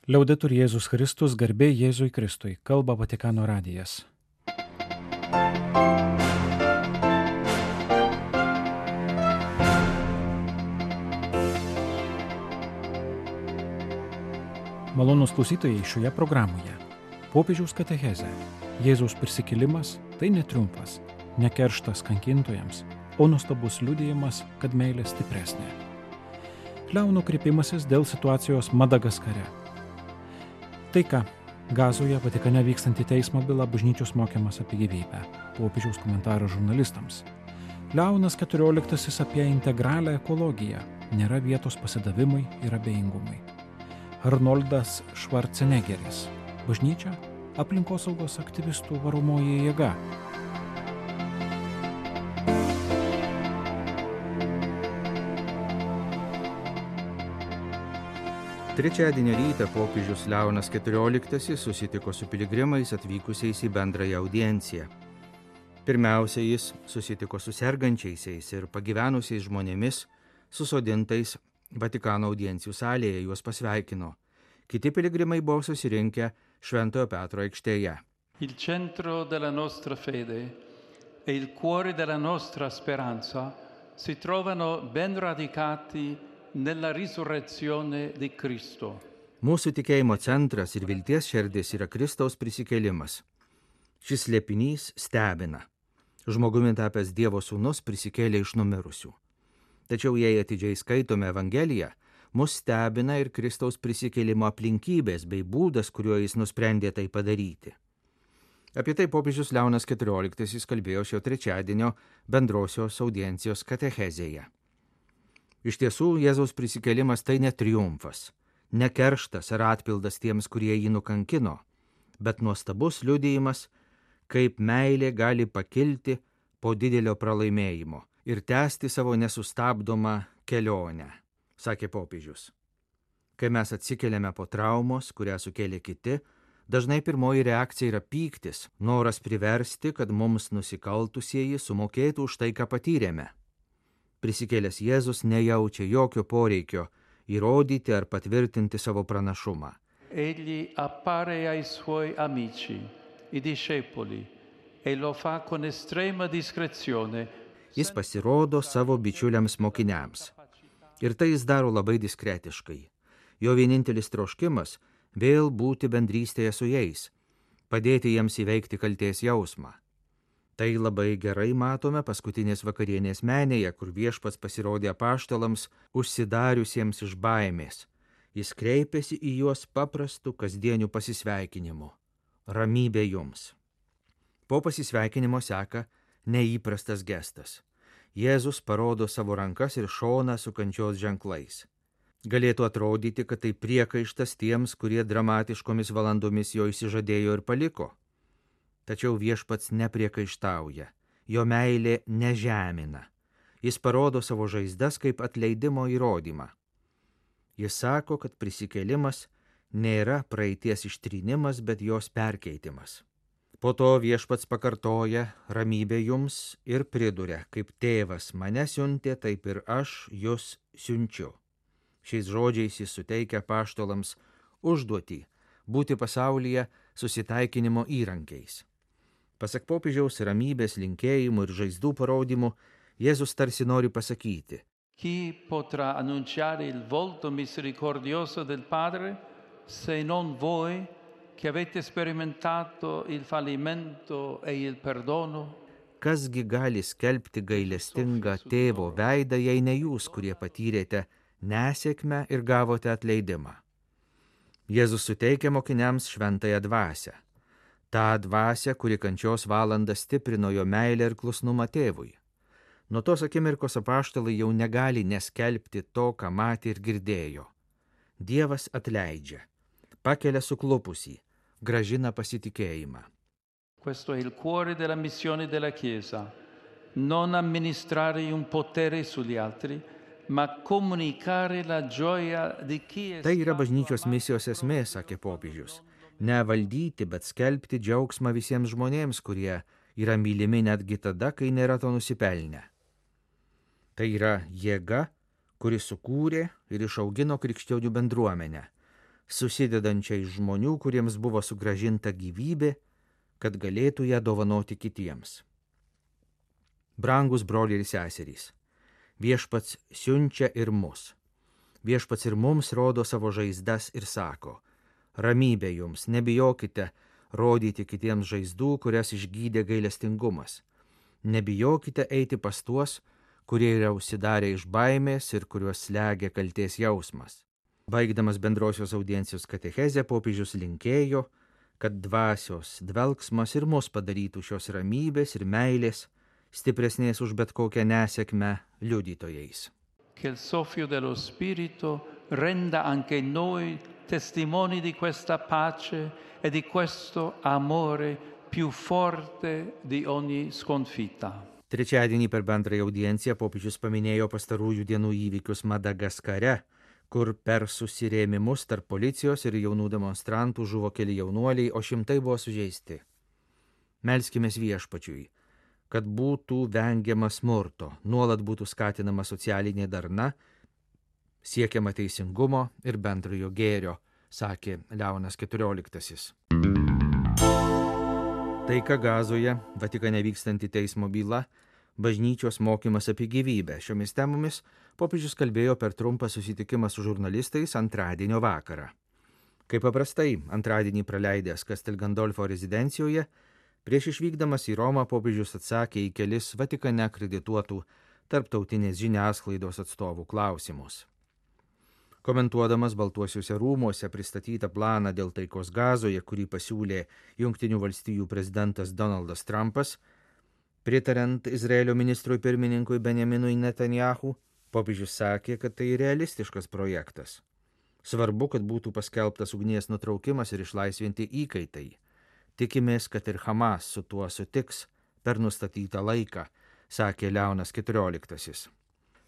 Liaudetur Jėzus Kristus, garbė Jėzui Kristui, kalba Vatikano radijas. Malonūs klausytojai, šioje programoje popiežiaus katechezė. Jėzaus prisikėlimas tai ne triumfas, ne kerštas kankintojams, o nuostabus liudijimas, kad meilė stipresnė. Leono kreipimasis dėl situacijos Madagaskare. Taika. Gazoje Vatikane vykstanti teismo byla, bažnyčios mokymas apie gyvybę. Popiežiaus komentaras žurnalistams. Leonas XIV apie integralią ekologiją. Nėra vietos pasidavimui ir abejingumui. Arnoldas Švarcenegeris. Bažnyčia aplinkosaugos aktyvistų varomoji jėga. Trečiadienio rytą popiežius Leonas XIV susitiko su piligrimais atvykusiais į bendrąją audienciją. Pirmiausia, jis susitiko su sergančiaisiais ir pagyvenusiais žmonėmis, susodintais Vatikano audiencijų salėje, juos pasveikino. Kiti piligrimai buvo susirinkę Šventojo Petro aikštėje. Il centro della nostra fede e il cuore della nostra speranza si trovano ben radicati nella risurrezione di Cristo. Mūsų tikėjimo centras ir vilties šerdis yra Kristaus prisikėlimas. Šis slėpinys stebina. Žmogumi tapęs Dievo sūnus prisikėlė iš numirusių. Tačiau jei atidžiai skaitome Evangeliją, mus stebina ir Kristaus prisikėlimo aplinkybės bei būdas, kuriuo jis nusprendė tai padaryti. Apie tai popiežius Leonas XIV kalbėjo šio trečiadienio bendrosios audiencijos katechezėje. Iš tiesų, Jėzaus prisikėlimas tai ne triumfas, ne kerštas ar atpildas tiems, kurie jį nukankino, bet nuostabus liudijimas, kaip meilė gali pakilti po didelio pralaimėjimo ir tęsti savo nesustabdomą kelionę, sakė popiežius. Kai mes atsikeliame po traumos, kurią sukėlė kiti, dažnai pirmoji reakcija yra pyktis, noras priversti, kad mums nusikaltusieji sumokėtų už tai, ką patyrėme. Prisikėlęs Jėzus nejaučia jokio poreikio įrodyti ar patvirtinti savo pranašumą. Egli appare ai suoi amici, i discepoli, e lo fa con estrema discrezione. Jis pasirodo savo bičiuliams mokiniams. Ir tai jis daro labai diskretiškai. Jo vienintelis troškimas – vėl būti bendrystėje su jais, padėti jiems įveikti kaltės jausmą. Tai labai gerai matome paskutinės vakarienės menėje, kur viešpats pasirodė apaštalams užsidariusiems iš baimės. Jis kreipėsi į juos paprastų kasdienių pasisveikinimų. Ramybė jums. Po pasisveikinimo seka neįprastas gestas. Jėzus parodo savo rankas ir šoną su kančios ženklais. Galėtų atrodyti, kad tai priekaištas tiems, kurie dramatiškomis valandomis jo išsižadėjo ir paliko. Tačiau viešpats nepriekaištauja, jo meilė nežemina. Jis parodo savo žaizdas kaip atleidimo įrodymą. Jis sako, kad prisikėlimas nėra praeities ištrynimas, bet jos perkeitimas. Po to viešpats pakartoja ramybė jums ir priduria, kaip tėvas mane siuntė, taip ir aš jus siunčiu. Šiais žodžiais jis suteikia apaštalams užduotį būti pasaulyje susitaikinimo įrankiais. Pasak popiežiaus ramybės linkėjimų ir žaizdų parodymų, Jėzus tarsi nori pasakyti: Chi potrà annunciare il volto misericordioso del Padre se non voi che avete sperimentato il fallimento e il perdono? Kasgi gali skelbti gailestingą tėvo veidą, jei ne jūs, kurie patyrėte nesėkmę ir gavote atleidimą. Jėzus suteikia mokiniams šventąją dvasią. Ta dvasia, kuri kančios valandą stiprino jo meilę ir klusnumą tėvui. Nuo tos akimirkos apaštalai jau negali neskelbti to, ką matė ir girdėjo. Dievas atleidžia, pakelia suklupusį, grąžina pasitikėjimą. Questo è il cuore della missione della Chiesa, non amministrare un potere sugli altri, ma comunicare la gioia di chi è. Tai yra bažnyčios misijos esmė, sakė popiežius. Ne valdyti, bet skelbti džiaugsmą visiems žmonėms, kurie yra mylimi netgi tada, kai nėra to nusipelnę. Tai yra jėga, kuri sukūrė ir išaugino krikščionių bendruomenę, susidedančią iš žmonių, kuriems buvo sugrąžinta gyvybė, kad galėtų ją dovanoti kitiems. Brangus broliai ir seserys, viešpats siunčia ir mus. Viešpats ir mums rodo savo žaizdas ir sako: ramybė jums, nebijokite rodyti kitiems žaizdų, kurias išgydė gailestingumas. Nebijokite eiti pas tuos, kurie yra užsidarę iš baimės ir kuriuos slegia kaltės jausmas. Baigdamas bendrosios audiencijos katechezę, popiežius linkėjo, kad dvasios dvelksmas ir mus padarytų šios ramybės ir meilės, stipresnės už bet kokią nesėkmę, liudytojais. Che il soffio dello Spirito renda anche noi testimoni di questa pace e di questo amore più forte di ogni sconfitta. Trečiadienį per bendrąją audienciją popiežius paminėjo pastarųjų dienų įvykius Madagaskare, kur per susirėmimus tarp policijos ir jaunų demonstrantų žuvo keli jaunuoliai, o šimtai buvo sužeisti. Melskimės Viešpačiui, kad būtų vengiama smurto, nuolat būtų skatinama socialinė darna, siekiama teisingumo ir bendrojo gėrio, sakė Leonas XIV. Taika Gazoje, Vatikane vykstanti teismo byla, bažnyčios mokymas apie gyvybę. Šiomis temomis popiežius kalbėjo per trumpą susitikimą su žurnalistais antradienio vakarą. Kaip paprastai, antradienį praleidęs Castel Gandolfo rezidencijoje, prieš išvykdamas į Romą popiežius atsakė į kelis Vatikane akredituotų tarptautinės žiniasklaidos atstovų klausimus. Komentuodamas Baltuosiuose rūmuose pristatytą planą dėl taikos Gazoje, kurį pasiūlė Jungtinių valstijų prezidentas Donaldas Trumpas, pritariant Izraelio ministrui pirmininkui Benjaminui Netanyahu, popiežius sakė, kad tai realistiškas projektas. Svarbu, kad būtų paskelbtas ugnies nutraukimas ir išlaisvinti įkaitai. Tikimės, kad ir Hamas su tuo sutiks per nustatytą laiką, sakė Leonas XIV.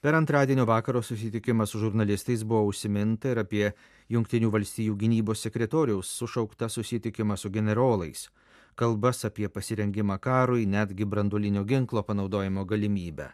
Per antradienio vakaro susitikimą su žurnalistais buvo užsiminta ir apie Jungtinių valstijų gynybos sekretoriaus sušauktą susitikimą su generolais, kalbas apie pasirengimą karui, netgi branduolinio ginklo panaudojimo galimybę.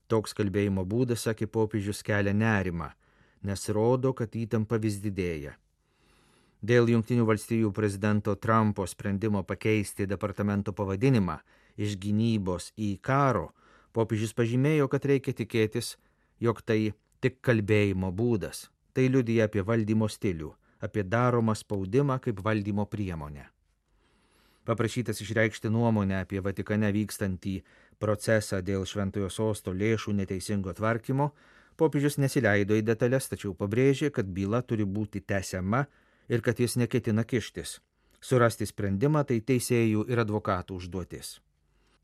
Toks kalbėjimo būdas, sakė popiežius, kelia nerimą, nes rodo, kad įtampa vis didėja. Dėl Jungtinių valstijų prezidento Trumpo sprendimo pakeisti departamento pavadinimą iš gynybos į karo, popiežius pažymėjo, kad reikia tikėtis, jog tai tik kalbėjimo būdas. Tai liudija apie valdymo stilių, apie daromą spaudimą kaip valdymo priemonę. Paprašytas išreikšti nuomonę apie Vatikane vykstantį procesą dėl Šventojo Sosto lėšų neteisingo tvarkymo, popiežius nesileido į detalės, tačiau pabrėžė, kad byla turi būti tęsiama ir kad jis neketina kištis. Surasti sprendimą tai teisėjų ir advokatų užduotis.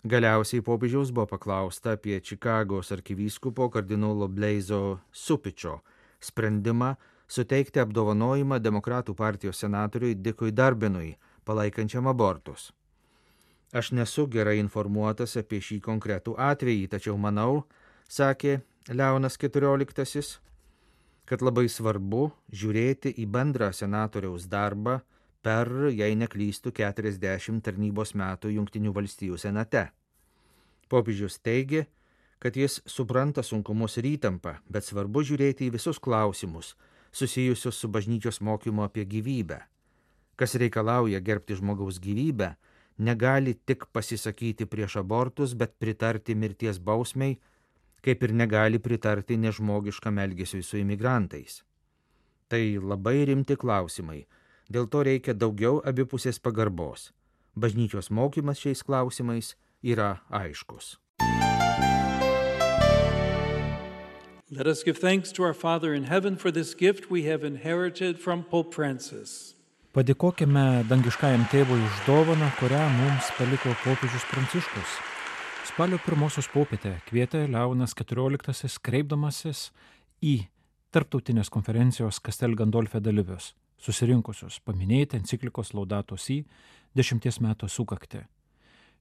Galiausiai popiežiaus buvo paklausta apie Čikagos arkivyskupo kardinolo Bleizo Supičio sprendimą suteikti apdovanojimą Demokratų partijos senatoriui Dikui Darbinui, palaikančiam abortus. Aš nesu gerai informuotas apie šį konkretų atvejį, tačiau manau, sakė Leonas XIV, kad labai svarbu žiūrėti į bendrą senatoriaus darbą per, jei neklystų, 40 tarnybos metų Jungtinių valstijų senate. Popiežius teigė, kad jis supranta sunkumus ir įtampą, bet svarbu žiūrėti į visus klausimus susijusius su bažnyčios mokymu apie gyvybę. Kas reikalauja gerbti žmogaus gyvybę, negali tik pasisakyti prieš abortus, bet pritarti mirties bausmei, kaip ir negali pritarti nežmogiškam elgesiui su imigrantais. Tai labai rimti klausimai, dėl to reikia daugiau abipusės pagarbos. Bažnyčios mokymas šiais klausimais yra aiškus. Let us give thanks to our Father in heaven for this gift we have inherited from Pope Francis. Padėkokime dangiškajam tėvui už dovaną, kurią mums paliko popiežius Pranciškus. Spalio 1 popietę kvietė Leonas XIV kreipdamasis į tarptautinės konferencijos Castel Gandolfe dalyvius, susirinkusius paminėti enciklikos Laudato Si 10 metų sukaktį.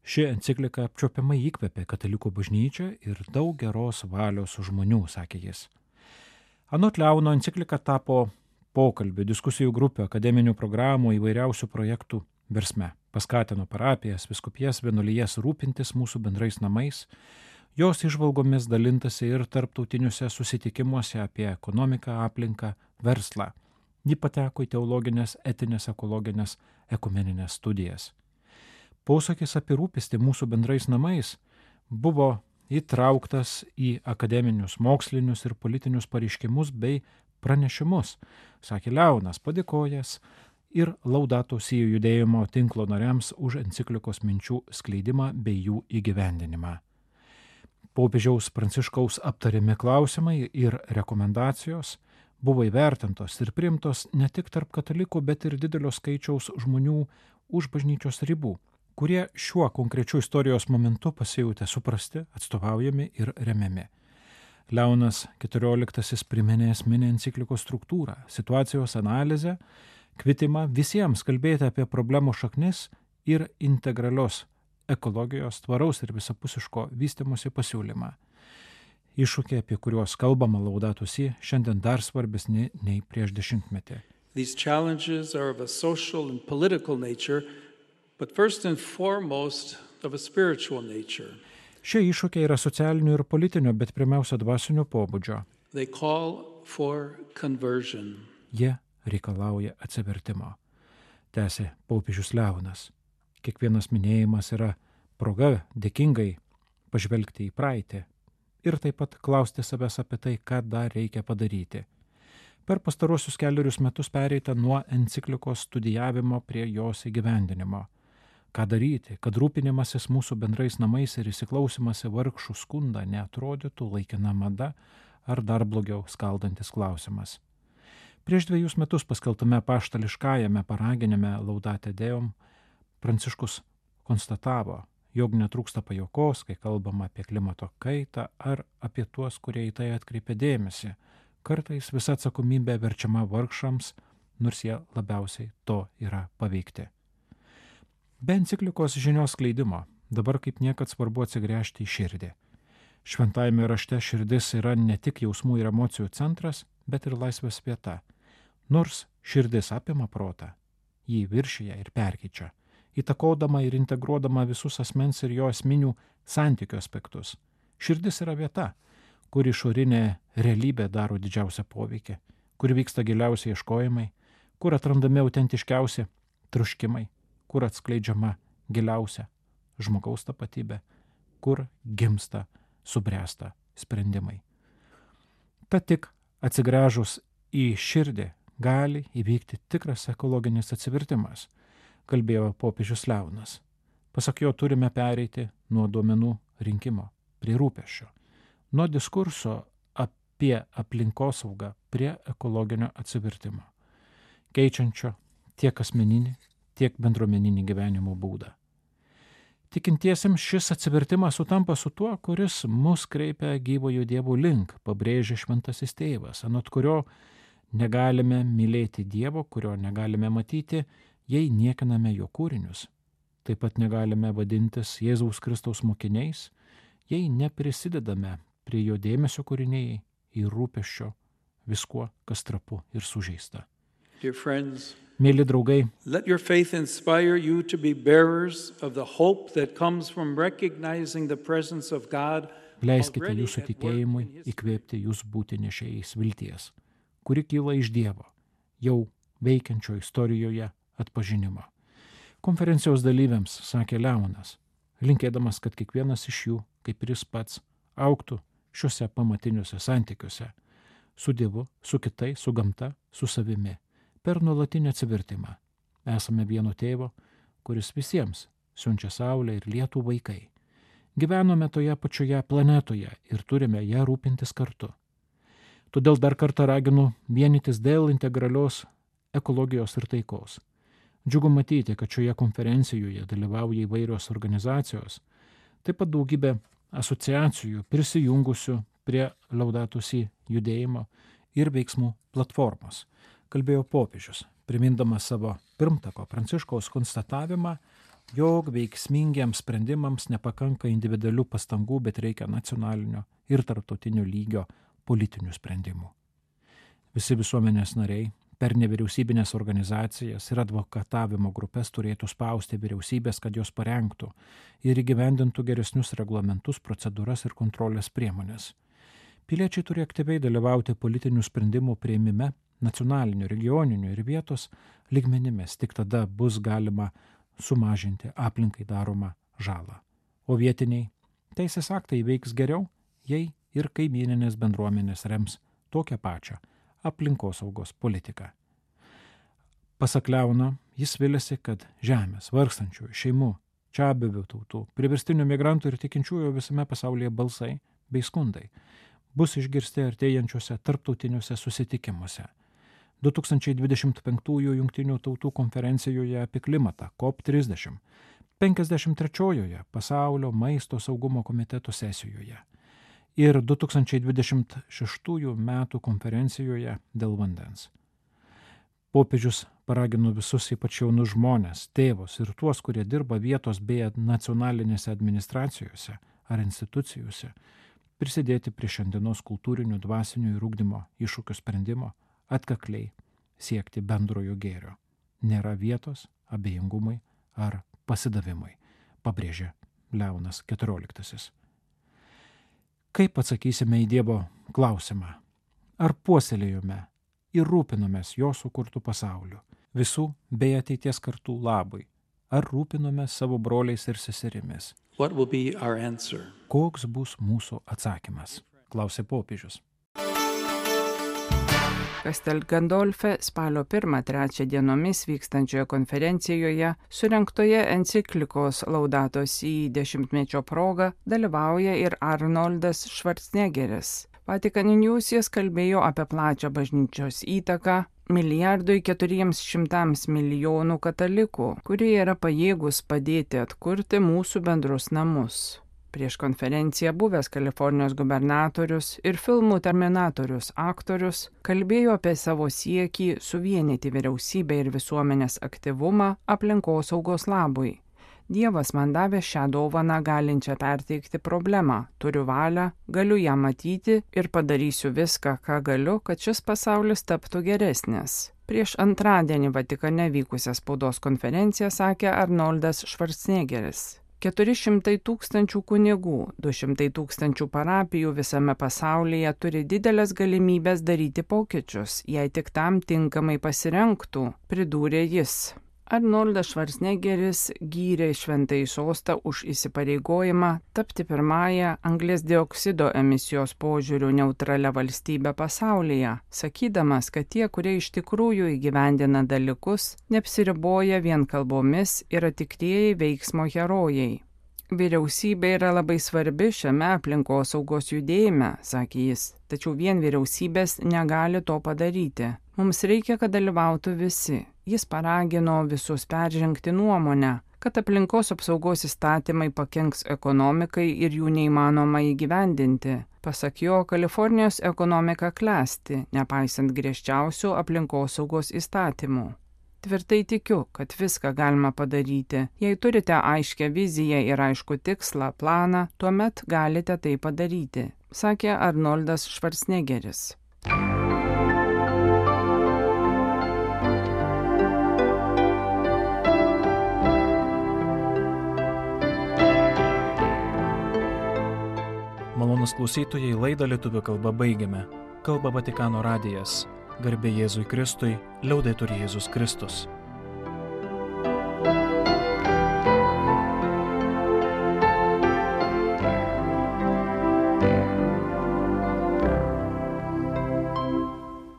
Ši enciklika apčiuopiamai įkvėpė katalikų bažnyčią ir daug geros valios žmonių, sakė jis. Anot Leono enciklika tapo pokalbių, diskusijų grupių, akademinių programų, įvairiausių projektų versme. Paskatino parapijas, vyskupijas, vienuolijas rūpintis mūsų bendrais namais. Jos įžvalgomis dalintasi ir tarptautiniuose susitikimuose apie ekonomiką, aplinką, verslą. Ji pateko į teologinės, etinės, ekologinės, ekumeninės studijas. Posakis apie rūpestį mūsų bendrais namais buvo įtrauktas į akademinius, mokslinius ir politinius pareiškimus bei pranešimus, sakė Leonas, padėkojęs ir Laudato Si judėjimo tinklo nariams už enciklikos minčių skleidimą bei jų įgyvendinimą. Popiežiaus Pranciškaus aptariami klausimai ir rekomendacijos buvo įvertintos ir priimtos ne tik tarp katalikų, bet ir didelio skaičiaus žmonių už bažnyčios ribų, kurie šiuo konkrečiu istorijos momentu pasijautė suprasti, atstovaujami ir remiami. Leonas XIV priminė esminę enciklikos struktūrą, situacijos analizę, kvietimą visiems kalbėti apie problemų šaknis ir integralios ekologijos, tvaraus ir visapusiško vystymosi pasiūlymą. Iššūkiai, apie kuriuos kalbama Laudato Si, šiandien dar svarbesni nei prieš dešimtmetį. These challenges are of a social and political nature, but first and foremost of a spiritual nature. Šie iššūkiai yra socialinio ir politinio, bet pirmiausia dvasinio pobūdžio. They call for conversion. Jie reikalauja atsivertimo. Tęsė popiežius Leonas. Kiekvienas minėjimas yra proga dėkingai pažvelgti į praeitį ir taip pat klausti savęs apie tai, ką dar reikia padaryti. Per pastaruosius 4 metus pereita nuo enciklikos studijavimo prie jos įgyvendinimo. Ką daryti, kad rūpinimasis mūsų bendrais namais ir įsiklausimas į vargšų skundą neatrodytų laikina mada ar dar blogiau skaldantis klausimas. Prieš 2 metus paskelbtame apaštališkajame paraginime Laudate Deum Pranciškus konstatavo, jog netrūksta pajuokos, kai kalbama apie klimato kaitą ar apie tuos, kurie į tai atkreipia dėmesį. Kartais visa atsakomybė verčiama vargšams, nors jie labiausiai to yra paveikti. Be enciklikos žinios skleidimo dabar kaip niekad svarbu atsigręžti į širdį. Šventajame rašte širdis yra ne tik jausmų ir emocijų centras, bet ir laisvės vieta. Nors širdis apima protą, jį viršija ir perkeičia, įtakodama ir integruodama visus asmens ir jo esminių santykių aspektus. Širdis yra vieta, kur išorinė realybė daro didžiausią poveikį, kur vyksta giliausi ieškojimai, kur atrandami autentiškiausi troškimai, kur atskleidžiama giliausia žmogaus tapatybė, kur gimsta, subręsta sprendimai. Tad tik atsigręžus į širdį gali įvykti tikras ekologinis atsivertimas, kalbėjo popiežius Leonas. Pasak jo, turime pereiti nuo duomenų rinkimo prie rūpesčio, nuo diskurso apie aplinkosaugą prie ekologinio atsivertimo, keičiančio tiek asmeninį, tiek bendruomeninį gyvenimo būdą. Tikintiesiems šis atsivertimas sutampa su tuo, kuris mus kreipia gyvojo Dievo link, pabrėžia šventasis tėvas, anot kurio negalime mylėti Dievo, kurio negalime matyti, jei niekiname jo kūrinius. Taip pat negalime vadintis Jėzaus Kristaus mokiniais, jei neprisidedame prie jo dėmesio kūriniai ir rūpesčio viskuo, kas trapu ir sužeista. Dear friends, Mėly draugai, let your faith inspire you to be bearers of the hope that comes from recognizing the presence of God. leiskite jūsų tikėjimui įkvėpti jūs būti nešėjais vilties, kuri kyla iš Dievo, jau veikiančio istorijoje atpažinimo. Konferencijos dalyviams sakė Leonas, linkėdamas, kad kiekvienas iš jų, kaip ir jis pats, augtų šiuose pamatiniuose santykiuose su Dievu, su kitais, su gamta, su savimi, per nuolatinį atsivertimą. Esame vieno tėvo, kuris visiems siunčia saulę ir lietų vaikai. Gyvenome toje pačioje planetoje ir turime ją rūpintis kartu. Todėl dar kartą raginu vienytis dėl integralios ekologijos ir taikos. Džiugu matyti, kad šioje konferencijoje dalyvauja įvairios organizacijos, taip pat daugybė asociacijų prisijungusių prie Laudato Si judėjimo ir veiksmų platformos, kalbėjo popiežius, primindamas savo pirmtako Pranciškaus konstatavimą, jog veiksmingiems sprendimams nepakanka individualių pastangų, bet reikia nacionalinio ir tarptautinio lygio politinių sprendimų. Visi visuomenės nariai per nevyriausybinės organizacijas ir advokatavimo grupės turėtų spausti vyriausybės, kad jos parengtų ir įgyvendintų geresnius reglamentus, procedūras ir kontrolės priemonės. Piliečiai turi aktyviai dalyvauti politinių sprendimų priėmime, nacionaliniu, regioniniu ir vietos lygmenimis. Tik tada bus galima sumažinti aplinkai daromą žalą. O vietiniai teisės aktai veiks geriau, jei ir kaimyninės bendruomenės rems tokią pačią aplinkosaugos politiką. Pasak Leono, jis viliasi, kad žemės, vargstančiųjų, šeimų, čiabuvių tautų, priverstinių migrantų ir tikinčiųjų visame pasaulyje balsai bei skundai bus išgirsti artėjančiuose tarptautiniuose susitikimuose. 2025 Jungtinių tautų konferencijoje apie klimatą COP30, 53 Pasaulio maisto saugumo komiteto sesijoje ir 2026 metų konferencijoje dėl vandens. Popiežius paragino visus, ypač jaunus žmonės, tėvus ir tuos, kurie dirba vietos bei nacionalinėse administracijose ar institucijose, prisidėti prie šiandienos kultūrinių, dvasinių ir ugdymo iššūkių sprendimo, atkakliai siekti bendrojo gėrio. Nėra vietos abejingumui ar pasidavimui, pabrėžė Leonas XIV. Kaip atsakysime į Dievo klausimą? Ar puoselėjome ir rūpinomės jo sukurtų pasauliu, visų bei ateities kartų labui? Ar rūpinomės savo broliais ir seserimis? What will be our answer? Koks bus mūsų atsakymas? Klausė popiežius. Castel Gandolfe spalio 1-3 dienomis vykstančioje konferencijoje surengtoje enciklikos Laudato Si 10-mečio proga dalyvauja ir Arnoldas Schwarzeneggeris. Vatican News jis kalbėjo apie plačią bažnyčios įtaką 1,4 milijardo katalikų, kurie yra pajėgus padėti atkurti mūsų bendrus namus. Prieš konferenciją buvęs Kalifornijos gubernatorius ir filmų Terminatorius aktorius kalbėjo apie savo siekį suvienyti vyriausybę ir visuomenės aktyvumą aplinkosaugos labui. Dievas man davė šią dovaną galinčią perteikti problemą, turiu valią, galiu ją matyti ir padarysiu viską, ką galiu, kad šis pasaulis taptų geresnis. Prieš antradienį Vatikane vykusią spaudos konferenciją sakė Arnoldas Schwarzeneggeris. 400 000 kunigų, 200 000 parapijų visame pasaulyje turi didelės galimybės daryti pokyčius, jei tik tam tinkamai pasirengtų, pridūrė jis. Arnoldas Schwarzeneggeris gyrė Šventąjį sostą už įsipareigojimą tapti pirmąją anglies dioksido emisijos požiūrių neutralia valstybė pasaulyje, sakydamas, kad tie, kurie iš tikrųjų įgyvendina dalykus, neapsiriboja vien kalbomis, yra tikrieji veiksmo herojai. Vyriausybė yra labai svarbi šiame aplinkosaugos judėjime, sakė jis, tačiau vien vyriausybės negali to padaryti. Mums reikia, kad dalyvautų visi. Jis paragino visus peržengti nuomonę, kad aplinkos apsaugos įstatymai pakenks ekonomikai ir jų neįmanoma įgyvendinti. Pasak jo, Kalifornijos ekonomika klesti, nepaisant griežčiausių aplinkosaugos įstatymų. Tvirtai tikiu, kad viską galima padaryti. Jei turite aiškę viziją ir aišku tikslą, planą, tuomet galite tai padaryti, sakė Arnoldas Schwarzeneggeris. Malonūs klausytojai, laidą lietuvių kalba baigiame. Kalba Vatikano radijas. Garbė Jėzui Kristui, liaudetur Jėzus Kristus.